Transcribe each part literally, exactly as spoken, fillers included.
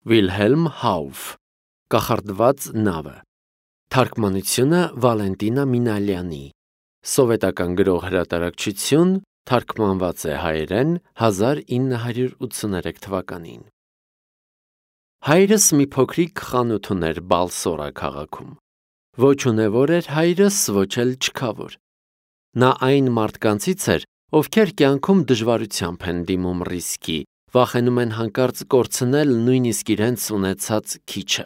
Վիլհելմ Հաուֆ, Կախարդված նավը, թարգմանությունը Վալենտինա Մինալյանի, սովետական գրող հրատարակչություն, թարգմանված է հայերեն հազար ինը հարյուր ութսուներեք թվականին։ Հայրս մի փոքրիկ խանութ ուներ Բալսորա քաղաքում։ Ոչ ունևոր էր հայրս, ոչ էլ չքավոր։ Նա այն մարդկանցից էր, ովքեր կյանքում դժվարությամբ են դիմում ռիսկի, վախենում են հանկարծ կորցնել նույնիսկ իրենց ունեցած քիչը։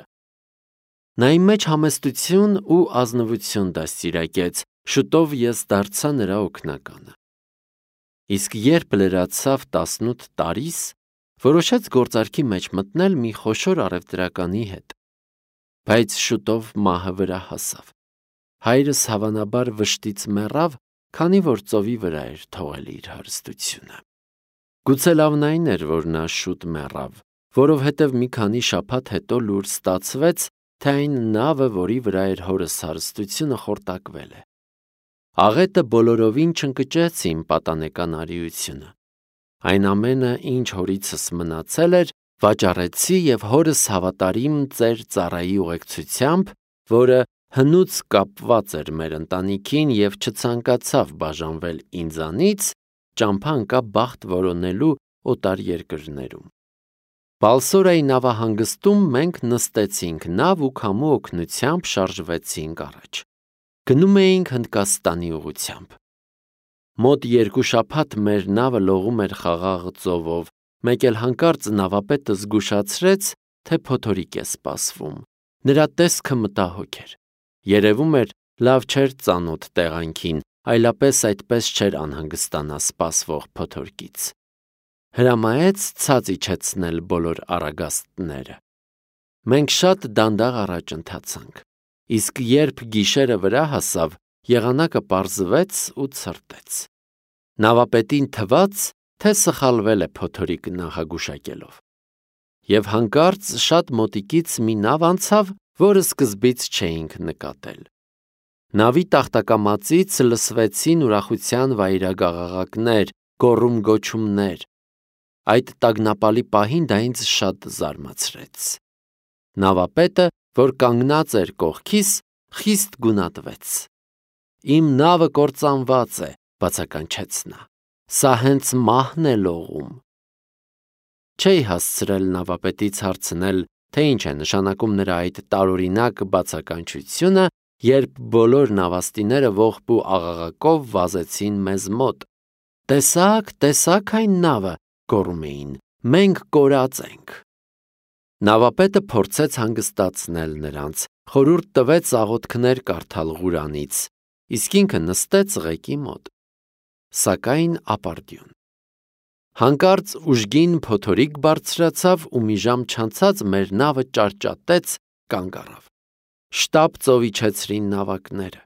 Նա իմ մեջ համեստություն ու ազնվություն դաստիարակեց, շուտով ես դարձա նրա օգնականը։ Իսկ երբ լրացավ տասնութ տարիս, որոշեց գործարքի մեջ մտնել մի խոշոր առևտրականի հետ։ Բայց շուտով մահը վրա հասավ։ Հայրս հավանաբար վշտից մեռավ, քանի որ ծովի վրա էր թողել իր հարստությունը։ Գուցե լավն այն էր, որ նա շուտ մեռավ, որովհետև մի քանի շաբաթ հետո լուր ստացվեց, թե այն նավը, որի վրա էր հորս հարստությունը, խորտակվել է։ Աղետը բոլորովին չընկճեց իմ պատանեկան արիությունը։ Այն ամենը, ինչ հորիցս մնացել էր, վաճառեցի և հորս հավատարիմ ծեր ծառայի ուղեկցությամբ, որը հնուց կապված էր մեր ընտանիքին և չցանկացավ բաժանվել ինձանից, ճամփա ընկա բախտ որոնելու օտար երկրներում։ Բալսորայի նավահանգստում մենք նստեցինք նավ ու քամու օգնությամբ շարժվեցինք առաջ։ Գնում էինք Հնդկաստանի ուղղությամբ։ Մոտ երկու շաբաթ մեր նավը լողում էր խաղաղ ծովով, մեկ էլ հանկարծ նավապետը զգուշացրեց, թե փոթորիկ է սպասվում։ Նրա տեսքը մտահոգ էր։ Երևում էր, լավ չէր ծանոթ տեղանքին, այլապես այդպես չէր անհանգստանա սպասվող փոթորկից։ Հրամայեց ցած իջեցնել բոլոր առագաստները։ Մենք շատ դանդաղ առաջ ընթացանք, իսկ երբ գիշերը վրա հասավ, եղանակը պարզվեց ու ցրտեց։ Նավապետին թվաց, թե սխալվել է փոթորիկ նախագուշակելով։ Եվ հանկարծ շատ մոտիկից մի նավ անցավ, որը սկզբից չէինք նկատել։ Նավի տախտակամածից լսվեցին ուրախության վայրագաղաղակներ, գոռում-գոչումներ։ Այդ տագնապալի պահին դա ինձ շատ զարմացրեց։ Նավապետը, որ կանգնած էր կողքիս, խիստ գունատվեց։ Իմ նավը կործանված է, բացականչեց նա։ Սա հենց մահն է լողում։ Չէի հասցրել նավապետից հարցնել, թե ինչ է նշանակում նրա այդ տարօրինակ բացականչությունը, երբ բոլոր նավաստիները ողբ ու աղաղակով վազեցին մեզ մոտ։ Տեսա՞ք, տեսա՞ք այն նավը, գոռում էին, մենք կորած ենք։ Նավապետը փորձեց հանգստացնել նրանց, խորհուրդ տվեց աղոթքներ կարդալ Ղուրանից, իսկ ինքը նստեց ղեկի մոտ։ Սակայն ապարդյուն։ Հանկարծ ուժգին փոթորիկ բարձրացավ ու մի ժամ չանցած մեր նավը ճարճատեց, կանգ առավ։ Շտապ ծով իջեցրին նավակները։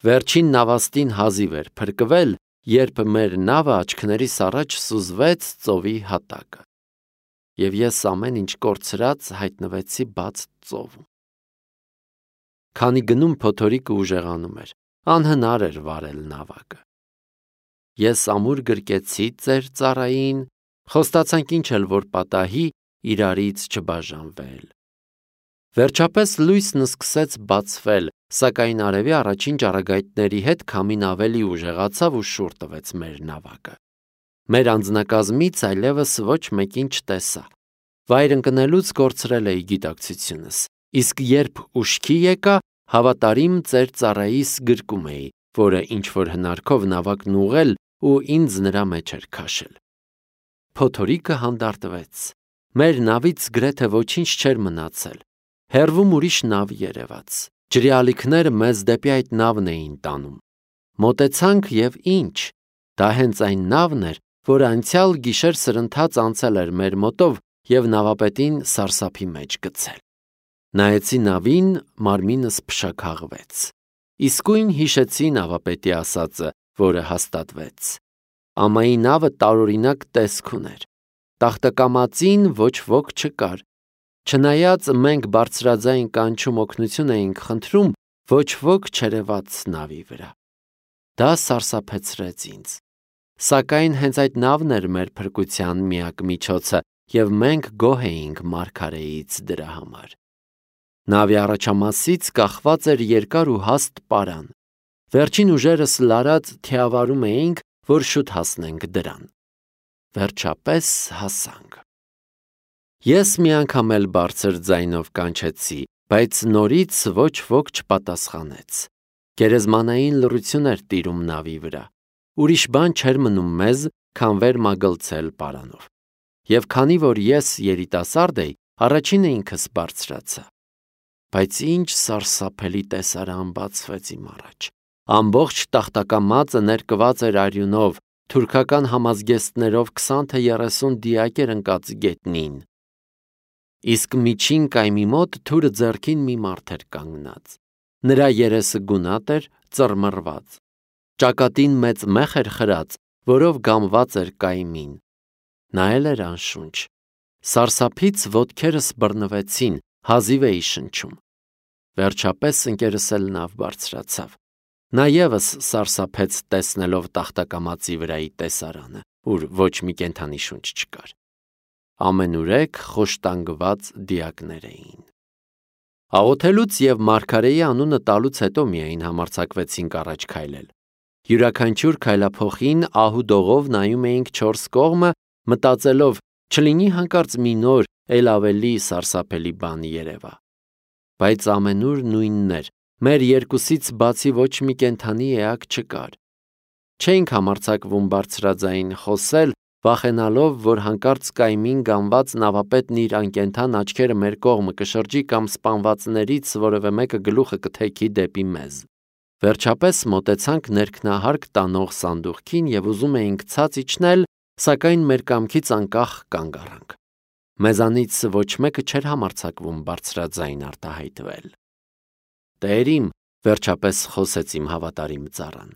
Վերջին նավաստին հազիվ էր փրկվել, երբ մեր նավը աչքներիս առաջ սուզվեց ծովի հատակը։ Եվ ես ամեն ինչ կորցրած հայտնվեցի բաց ծովում։ Քանի գնում փոթորիկը ուժեղանում էր, անհնար էր վարել նավակը։ Ես ամուր գրկեցի ծեր ծառային, խոստացանք ինչ էլ որ պատահի, իրարից չբաժանվել։ Վերջապես լույսն սկսեց բացվել, սակայն արևի առաջին ճառագայթների հետ քամին ավելի ուժեղացավ ու շուռ տվեց մեր նավակը։ Մեր անձնակազմից այլևս ոչ մեկին չտեսա։ Վայր ընկնելուց կորցրել էի գիտակցությունս, իսկ երբ ուշքի եկա, հավատարիմ ծեր ծառայիս գրկում էի, որը ինչ-որ հնարքով նավակն ուղղել ու ինձ նրա մեջ էր քաշել։ Փոթորիկը հանդարտվեց։ Մեր նավից գրեթե ոչինչ չէր մնացել։ Հեռվում ուրիշ նավ երևաց։ Ջրի ալիքները մեզ դեպի այդ նավն էին տանում։ Մոտեցանք և ինչ։ Դա հենց այն նավն էր, որը անցյալ գիշեր սրընթաց անցել էր մեր մոտով և նավապետին սարսափի մեջ գցել։ Նայեցի նավին, մարմինս փշաքաղվեց։ Իսկույն հիշեցի նավապետի ասածը, որը հաստատվեց։ Ամայի նավը տարօրինակ տեսք ուներ։ Տախտակամածին ոչ ոք չկար։ Չնայած մենք բարձրաձայն կանչում օգնություն էինք խնդրում, ոչ ոք չերևաց նավի վրա։ Դա սարսափեցրեց ինձ։ Սակայն հենց այդ նավն էր մեր փրկության միակ միջոցը, և մենք գոհ էինք մարգարեից դրա համար։ Նավի առաջամասից կախված էր երկար ու հաստ պարան։ Վերջին ուժերս լարած թիավարում էինք, որ շուտ հասնենք դրան։ Վերջապես հասանք։ Ես մի անգամ էլ բարձր ձայնով կանչեցի, բայց նորից ոչ ոք չպատասխանեց։ Գերեզմանային լռություն էր տիրում նավի վրա։ Ուրիշ բան չէր մնում մեզ, քան վեր մագլցել պարանով։ Եվ քանի որ ես երիտասարդ էի, առաջինը ինքս բարձրացա։ Բայց ինչ սարսափելի տեսարան բացվեց իմ առաջ։ Ամբողջ տախտակամածը ներկված էր արյունով, թուրքական համազգեստներով քսան թե երեսուն դիակ էր ընկած գետնին։ Իսկ միջին կայմի մոտ թուրը ձեռքին մի մարդ էր կանգնած։ Նրա երեսը գունատ էր, ծռմռված։ Ճակատին մեծ մեխ էր խրած, որով գամված էր կայմին։ Նայել էր անշունչ։ Սարսափից ոտքերս բռնվեցին, հազիվ էի շնչում։ Վերջապես ընկերս էլ նավ բարձրացավ։ Նա ևս սարսափեց տեսնելով տախտակամածի վրայի տեսարանը, ուր ոչ մի կենդանի շունչ չկար։ Ամենուրեք խոշտանգված դիակներ էին։ Աղոթելուց և մարգարեի անունը տալուց հետո միայն համարձակվեցինք առաջ քայլել։ Յուրաքանչյուր քայլափոխին ահուդողով նայում էինք չորս կողմը, մտածելով, չլինի հանկարծ մի նոր, էլ ավելի սարսափելի բան երևա։ Բայց ամենուր նույնն էր, մեր երկուսից բացի ոչ մի կենդանի էակ չկար։ Չէինք համարձակվում բարձրաձայն խոսել, վախենալով, որ հանկարծ կայմին գամված նավապետն իր անկենդան աչքերը մեր կողմը կշրջի կամ սպանվածներից որևէ մեկը գլուխը կթեքի դեպի մեզ։ Վերջապես մոտեցանք ներքնահարկ տանող սանդուղքին և ուզում էինք ցած իջնել, սակայն մեր կամքից անկախ կանգ առանք։ Մեզանից ոչ մեկը չէր համարձակվում բարձրաձայն արտահայտվել։ Տերիմ, վերջապես խոսեց իմ հավատարիմ ծառան,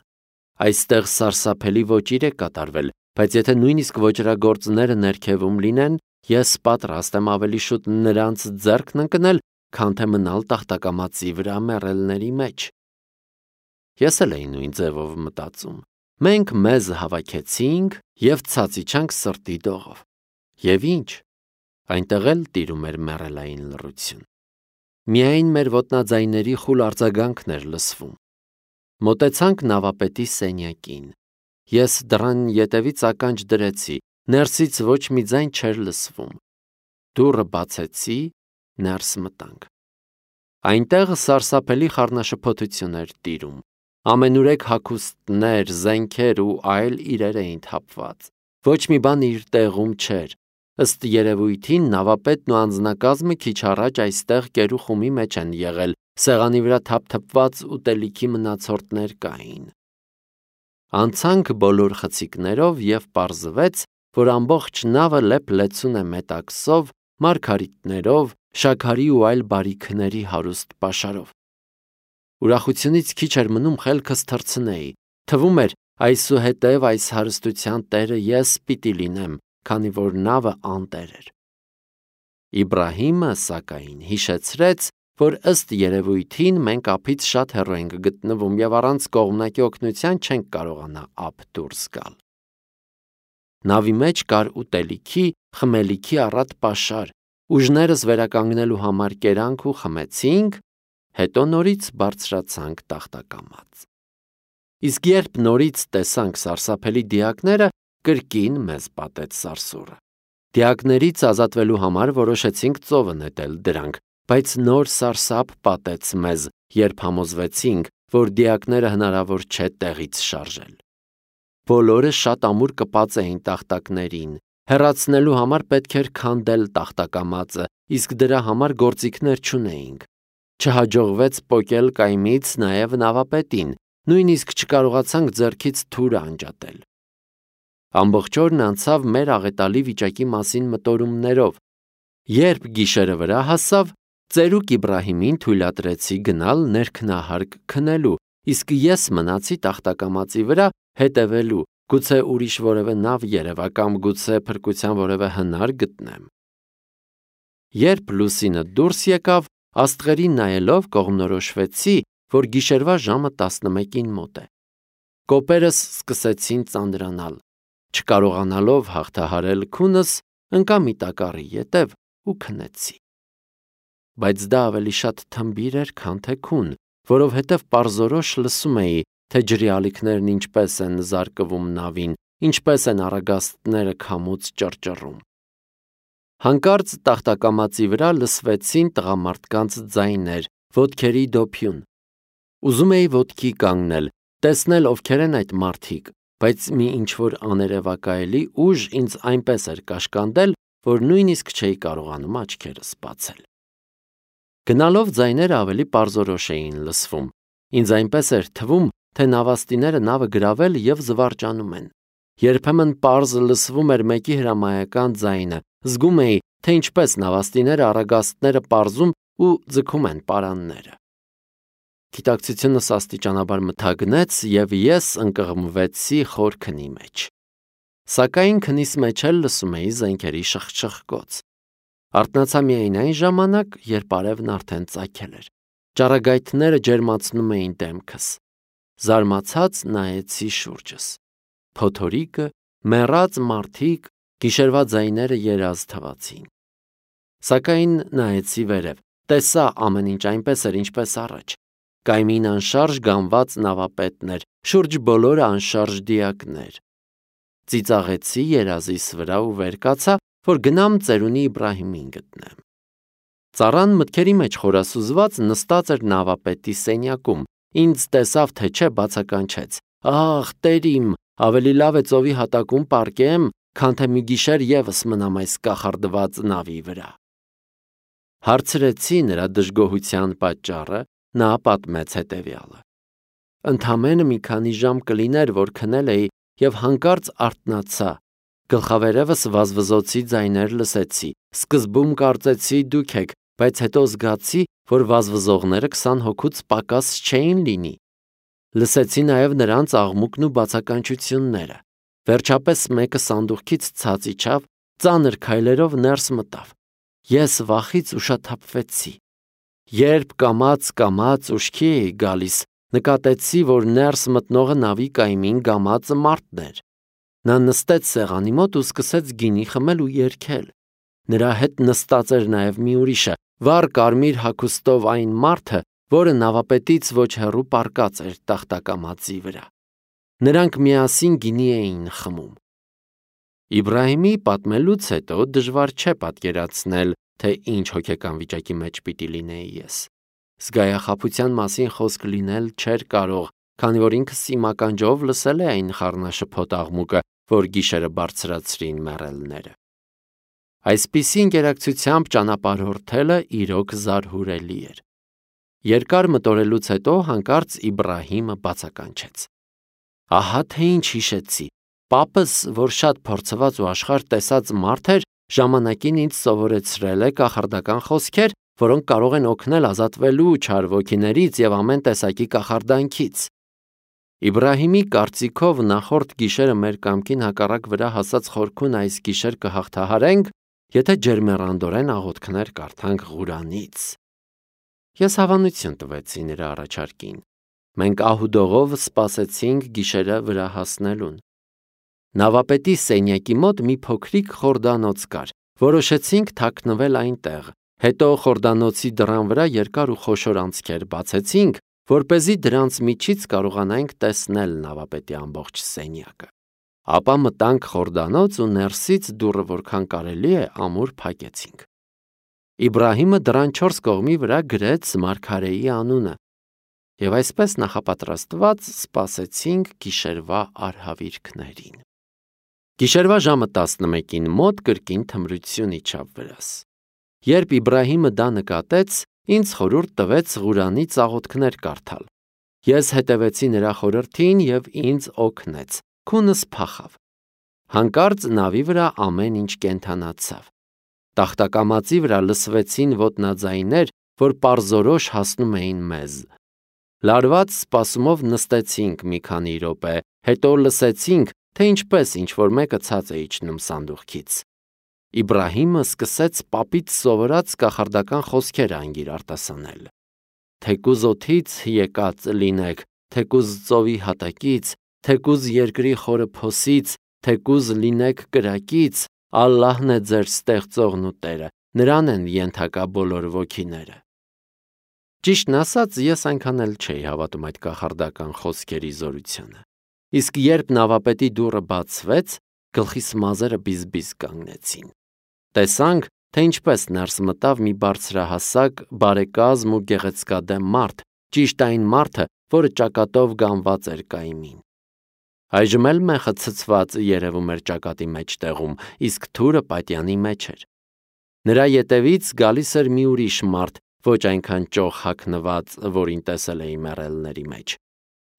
այստեղ սարսափելի ոճիր է կատարվել, բայց եթե նույնիսկ ոճրագործները ներքևում լինեն, ես պատրաստ եմ ավելի շուտ նրանց ձեռքն ընկնել, քան թե մնալ տախտակամածի վրա մեռելների մեջ։ Ես էլ էի նույն ձևով մտածում։ Մենք մեզ հավաքեցինք և ցած իջանք սրտի դողով։ Եվ ինչ, այնտեղ էլ տիրում էր մեռելային լռություն։ Միայն մեր ոտնաձայների խուլ արձագանքն էր լսվում։ Մոտեցանք նավապետի սենյակին։ Ես դռան ետևից ականջ դրեցի, ներսից ոչ մի ձայն չէր լսվում։ Դուռը բացեցի, ներս մտանք։ Այնտեղ սարսափելի խառնաշփոթություն էր տիրում։ Ամենուրեք հագուստներ, զենքեր ու այլ իրեր էին թափված։ Ոչ մի բան իր տեղում չէր։ Ըստ երևույթին նավապետն ու անձնակազմը քիչ առաջ այստեղ կերուխումի մեջ են եղել, սեղանի վրա թափթփված ուտելիքի մնացորդներ կային։ Անցանք բոլոր խցիկներով և պարզվեց, որ ամբողջ նավը լեփ-լեցուն է մետաքսով, մարգարիտներով, շաքարի ու այլ բարիքների հարուստ պաշարով։ Ուրախությունից քիչ էր մնում խելքս թռցնեի, թվում էր այսուհետև այս հարստության տերը ես պիտի լինեմ, քանի որ նավը անտեր էր։ Իբրահիմը, սակայն, հիշեցրեց, որ ըստ երևույթին մենք ափից շատ հեռու ենք գտնվում և առանց կողմնակի օգնության չենք կարողանա ափ դուրս գալ։ Նավի մեջ կար ուտելիքի, խմելիքի առատ պաշար, ուժներս վերականգնելու համար կերանք ու խմեցինք, հետո նորից բարձրացանք տախտակամած։ Իսկ երբ նորից տեսանք սարսափելի դիակները, կրկին մեզ պատեց սարսուռը։ Դիակներից ազատվելու համար որոշեցինք ծովը նետել դրանք, բայց նոր սարսափ պատեց մեզ, երբ համոզվեցինք, որ դիակները հնարավոր չէ տեղից շարժել։ Բոլորը շատ ամուր կպած էին տախտակներին։ Հեռացնելու համար պետք էր քանդել տախտակամածը, իսկ դրա համար գործիքներ չունեինք։ Չհաջողվեց պոկել կայմից նաև նավապետին, նույնիսկ չկարողացանք ձեռքից թուրը անջատել։ Ամբողջ օրն անցավ մեր աղետալի վիճակի մասին մտորումներով։ Երբ գիշերը վրա հասավ, ծերուկ Իբրահիմին թույլատրեցի գնալ ներքնահարկ քնելու, իսկ ես մնացի տախտակամածի վրա հետևելու, գուցե ուրիշ որևէ նավ երևա կամ գուցե փրկության որևէ հնար գտնեմ։ Երբ լուսինը դուրս եկավ, աստղերին նայելով կողմնորոշվեցի, որ գիշերվա ժամը տասնմեկին մոտ է։ Կոպերս սկսեցին ծանրանալ։ Չկարողանալով հաղթահարել քունս, ընկա մի տակառի ետև ու քնեցի։ Բայց դա ավելի շատ թմբիր էր, քան թե քուն, որովհետև պարզորոշ լսում էի, թե ջրի ալիքներն ինչպես են զարկվում նավին, ինչպես են առագաստները քամուց ճռճռում։ Հանկարծ տախտակամածի վրա լսվեցին տղամարդկանց ձայներ, ոտքերի դոփյուն։ Ուզում էի ոտքի կանգնել, տեսնել ովքեր են այդ մարդիկ, բայց մի ինչ-որ աներևակայելի ուժ ինձ այնպես էր կաշկանդել, որ նույնիսկ չէի կարողանում աչքերս բացել։ Գնալով ձայները ավելի պարզորոշ էին լսվում։ Ինձ այնպես էր թվում, թե նավաստիները նավը գրավել և զվարճանում են։ Երբեմն պարզ լսվում էր մեկի հրամայական ձայնը, զգում էի, թե ինչպես նավաստիները առագաստները պարզում ու ձգում են պարանները։ Գիտակցությունս աստիճանաբար մթագնեց, և ես ընկղմվեցի խոր քնի մեջ։ Սակայն քնիս մեջ էլ լսում էի զենքերի շխչխկոց։ Արթնացա միայն այն ժամանակ, երբ արևն արդեն ծագել էր։ Ճառագայթները ջերմացնում էին դեմքս։ Զարմացած նայեցի շուրջս։ Փոթորիկը, մեռած մարդիկ, գիշերվա ձայները երազ թվացին։ Սակայն նայեցի վերև, տեսա ամեն ինչ այնպես էր, ինչպես առաջ։ Կայմին անշարժ գանված նավապետներ, շուրջ բոլորը անշարժ դիակներ։ Ծիծաղեցի երազիս վրա ու վեր կացա, որ գնամ ծերունի Իբրահիմին գտնեմ։ Ծառան մտքերի մեջ խորասուզված նստած էր նավապետի սենյակում, ինձ տեսավ, թե չէ, բացականչեց. «Ախ, տեր իմ, ավելի լավ է ծովի հատակում պառկեմ, քան թե մի գիշեր ևս մնամ այս կախարդված նավի վրա»։ Հարցրեցի նրա դժգոհության պատճառը, նա պատմեց հետևյալը. Ընդամենը մի քանի ժամ կլիներ, որ քնել էի, և հանկարծ արթնացա։ Գլխավերևս վազվզոցի ձայներ լսեցի, սկզբում կարծեցի դուք եք, բայց հետո զգացի, որ վազվզողները քսան հոգուց պակաս չէին լինի։ Լսեցի նաև նրանց աղմուկն ու բացականչությունները։ Վերջապես մեկը սանդուղքից ցած իջավ, ծանր քայլերով ներս մտավ։ Ես վախից ուշաթափվեցի։ Երբ կամաց-կամաց ուշքի էի գալիս, նկատեցի, որ ներս մտնողը նավի կայմին գամածը մարդն էր։ Նա նստեց սեղանի մոտ ու սկսեց գինի խմել ու երգել։ Նրա հետ նստած էր նաև մի ուրիշը, վառ կարմիր հագուստով այն մարդը, որը նավապետից ոչ հեռու պառկած էր տախտակամածի վրա։ Նրանք միասին գինի էին խմում։ Իբրահիմի պատմելուց հետո դժվար չէ պատկերացնել, թե ինչ հոգեկան վիճակի մեջ պիտի լինեի ես։ Զգայախաբության մասին խոսք լինել չէր կարող, քանի որ ինքս իմ ականջով լսել է այն խառնաշփոթ աղմուկը, որ գիշերը բարձրացրին մեռելները։ Այսպիսի ընկերակցությամբ ճանապարհորդելը իրոք զարհուրելի էր։ Երկար մտորելուց հետո հանկարծ Իբրահիմը բացականչեց. Ահա թե ինչ հիշեցի։ Պապս, որ շատ փորձված ու աշխարհ տեսած մարդ էր, ժամանակին ինձ սովորեցրել է կախարդական խոսքեր, որոնք կարող են օգնել ազատվելու չար ոգիներից և ամեն տեսակի կախարդանքից։ Իբրահիմի կարծիքով նախորդ գիշերը մեր կամքին հակառակ վրա հասած խորքուն այս գիշեր կհաղթահարենք, եթե ջերմեռանդորեն աղոթքներ կարդանք Ղուրանից։ Ես հավանություն տվեցի նրա առաջարկին։ Մենք ահուդողով սպասեցինք գիշերը վրա հասնելուն։ Նավապետի սենյակի մոտ մի փոքրիկ խորդանոց կար, որոշեցինք թաքնվել այնտեղ, հետո խորդանոցի դռան վրա երկար ու խոշոր անցքեր բացեցինք, որպեսզի դրանց միջից կարողանանք տեսնել նավապետի ամբողջ սենյակը։ Ապա մտանք խորդանոց ու ներսից դուռը որքան կարելի է ամուր փակեցինք։ Իբրահիմը դռան չորս կողմի վրա գրեց մարգարեի անունը, և այսպես նախապատրաստված սպասեցինք գիշերվա արհավիրքներին։ Գիշերվա ժամը տասնմեկին մոտ կրկին թմրություն իջավ վրաս։ Երբ Իբրահիմը դա նկատեց, ինձ խորհուրդ տվեց Ղուրանից աղոթքներ կարդալ։ Ես հետևեցի նրա խորհրդին և ինձ օգնեց, քունս փախավ։ Հանկարծ նավի վրա ամեն ինչ կենդանացավ։ Տախտակամածի վրա լսվեցին ոտնաձայներ, որ պարզորոշ հասնում էին մեզ։ Լարված սպասումով նստեցինք մի քանի րոպե, հետո լսեցինք, թե ինչպես ինչ-որ մեկը ցած է իջնում սանդուղքից։ Իբրահիմը սկսեց պապից սովորած կախարդական խոսքեր անգիր արտասանել։ Թեկուզ օդից եկած լինեք, թեկուզ ծովի հատակից, թեկուզ երկրի խորը փոսից, թեկուզ լինեք կրակից, Ալլահն է ձեր ստեղծողն ու Տերը, նրան են ենթակա բոլոր ոգիները։ Ճիշտն ասած, ես այնքան էլ չէի հավատում այդ կախարդական խոսքերի զորությանը։ Իսկ երբ նավապետի դուռը բացվեց, գլխիս մազերը բիզբիզ կանգնեցին։ Տեսանք, թե ինչպես ներս մտավ մի բարձրահասակ, բարեկազմ ու գեղեցկադեմ մարդ, ճիշտ այն մարդը, որը ճակատով գանված էր կայմին։ Այժմ էլ մեխը ցցված երևում էր ճակատի մեջտեղում, իսկ թուրը պատյանի մեջ էր։ Նրա ետևից գալիս էր մի ուրիշ մարդ, ոչ այնքան ճոխ հագնված, որին տեսել էի մեռելների մեջ։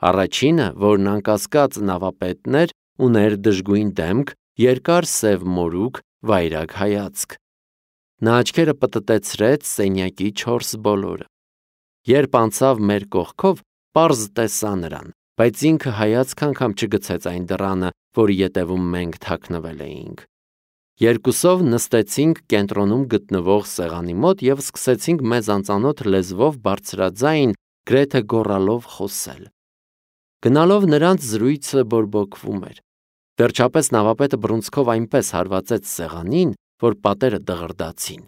Առաջինը, որն անկասկած նավապետն էր, ուներ դժգույն դեմք, երկար սև մորուք, վայրագ հայացք։ Նա աչքերը պտտեցրեց սենյակի չորս բոլորը։ Երբ անցավ մեր կողքով, պարզ տեսա նրան, բայց ինքը հայացք անգամ չգցեց այն դռանը, որի ետևում մենք թաքնվել էինք։ Երկուսով նստեցինք կենտրոնում գտնվող սեղանի մոտ և սկսեցինք մեզ անծանոթ լեզվով բարձրաձայն, գրեթե գոռալով խոսել։ Գնալով նրանց զրույցը բորբոքվում էր։ Վերջապես նավապետը բռունցքով այնպես հարվածեց սեղանին, որ պատերը դղրդացին։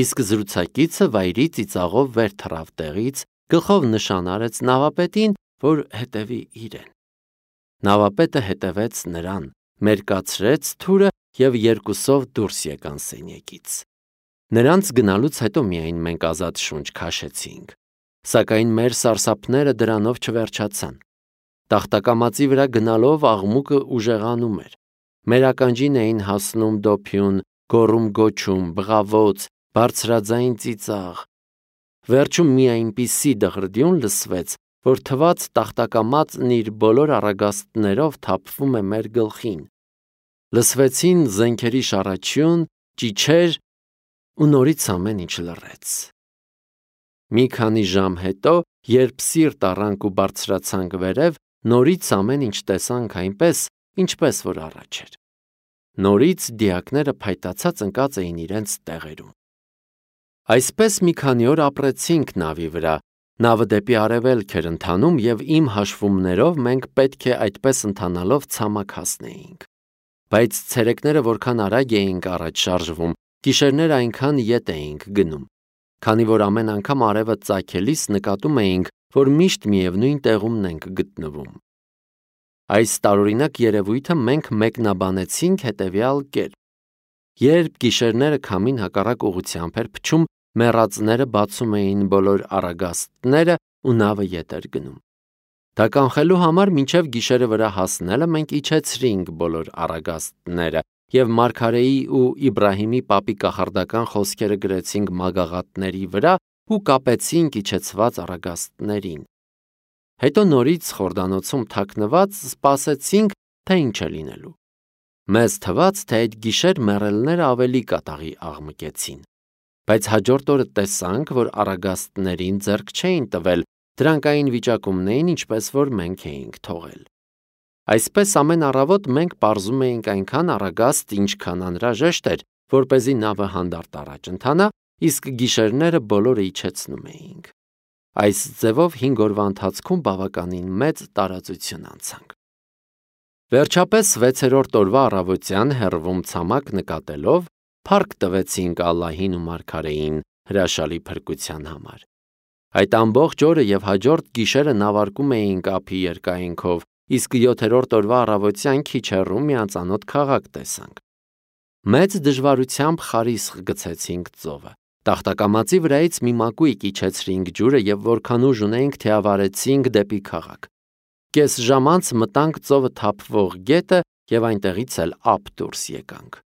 Իսկ զրուցակիցը վայրի ծիծաղով վեր թռավ տեղից, գլխով նշան արեց նավապետին, որ հետևի իրեն։ Նավապետը հետևեց նրան, մերկացրեց թուրը և երկուսով դուրս եկան սենյակից։ Նրանց գնալուց հետո միայն մենք ազատ շունչ քաշեցինք։ Սակայն մեր սարսափները դրանով չվերջացան։ Տախտակամածի վրա գնալով աղմուկը ուժեղանում էր։ Մեր ականջին էին հասնում դոփյուն, գոռում-գոչում, բղավոց, բարձրաձայն ծիծաղ։ Վերջում մի այնպիսի դղրդյուն լսվեց, որ թվաց տախտակամածն իր բոլոր առագաստներով թափվում է մեր գլխին։ Լսվեցին զենքերի շառաչյուն, ճիչեր ու նորից ամեն ինչ լռեց։ Մի քանի ժամ հետո, երբ սիրտ առանք ու բարձրացանք վերև, նորից ամեն ինչ տեսանք այնպես, ինչպես որ առաջ էր։ Նորից դիակները փայտացած ընկած էին իրենց տեղերում։ Այսպես մի քանի օր ապրեցինք նավի վրա, նավը դեպի արևելք էր ընթանում և իմ հաշվումներով մենք պետք է այդպես ընթանալով ցամաք հասնեինք։ Բայց ցերեկները որքան արագ էինք առաջ շարժվում, գիշերները այնքան ետ էինք գնում, քանի որ ամեն անգամ արևը ծագելիս նկատում էինք, որ միշտ միևնույն տեղումն ենք գտնվում։ Այս տարօրինակ երևույթը մենք մեկնաբանեցինք հետևյալ կերպ. երբ գիշերները քամին հակառակ ուղղությամբ էր փչում, մեռածները բացում էին բոլոր առագաստները ու նավը ետ էր գնում։ Դա կանխելու համար մինչև գիշերը վրա հասնելը մենք իջեցրինք բոլոր առագաստները և Մարգարեի ու Իբրահիմի պապի կախարդական խոսքերը գրեցինք մագաղատների վրա ու կապեցինք իջեցված առագաստներին։ Հետո նորից խորդանոցում թաքնված սպասեցինք, թե ինչ է լինելու։ Մեզ թվաց, թե այդ գիշեր մեռելները ավելի կատաղի աղմկեցին։ Բայց հաջորդ օրը տեսանք, որ առագաստներին ձեռք չէին տվել, դրանք այն վիճակումն էին, ինչպես որ մենք էինք թողել։ Այսպես ամեն առավոտ մենք պարզում էինք այնքան առագաստ, ինչքան անհրաժեշտ էր, որպեսզի նավը հանդարտ առաջ ընթանա, իսկ գիշերները բոլորը իջեցնում էինք։ Այս ձևով հինգ օրվա ընթացքում բավականին մեծ տարածություն անցանք։ Վերջապես վեցերորդ օրվա առավոտյան հեռվում ցամաք նկատելով, փառք տվեցինք Ալլահին ու Մարգարեին հրաշալի փրկության համար։ Այդ ամբողջ օրը և հաջորդ գիշերը նավարկում էինք ափի երկայնքով, իսկ յոթերորդ օրվա առավոտյան քիչ հեռու մի անծանոթ քաղաք տեսանք։ Մեծ դժվարությամբ խարիսխ գցեցինք ծովը։ Տախտակամածի վրայից մի մակույկ իջեցրինք ջուրը և որքան ուժ ունեինք թիավարեցինք դեպի քաղաք։ Կես ժամ անց մտանք ծովը թափվող գետը և այնտեղից էլ ափ դուրս եկանք։